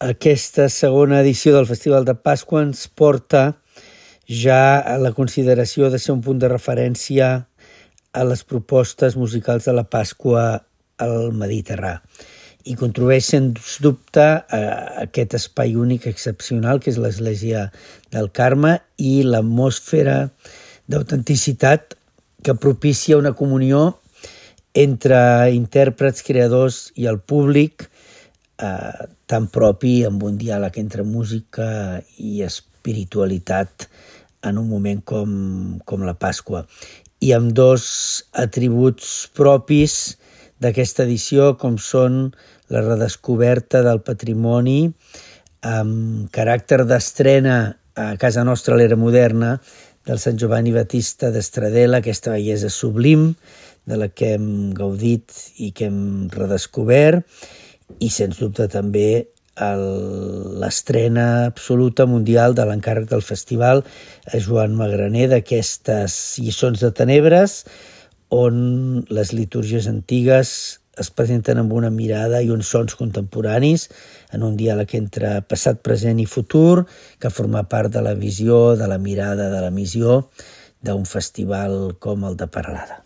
Aquesta segona edició del Festival de Pasqua ens porta ja a la consideració de ser un punt de referència a les propostes musicals de la Pasqua al Mediterrà i contribueix sens dubte a aquest espai únic excepcional que és l'Església del Carme i l'atmosfera d'autenticitat que propicia una comunió entre intèrprets, creadors i el públic tan propi amb un diàleg entre música i espiritualitat en un moment com la Pasqua. I amb dos atributs propis d'aquesta edició, com són la redescoberta del patrimoni amb caràcter d'estrena a casa nostra a l'era moderna del Sant Giovanni Battista d'Estradella, aquesta bellesa sublim de la que hem gaudit i que hem redescobert, i sens dubte també l'estrena absoluta mundial de l'encàrrec del festival a Joan Magraner d'aquestes lliçons de tenebres, on les litúrgies antigues es presenten amb una mirada i uns sons contemporanis en un diàleg entre passat, present i futur que forma part de la visió, de la mirada, de la missió d'un festival com el de Peralada.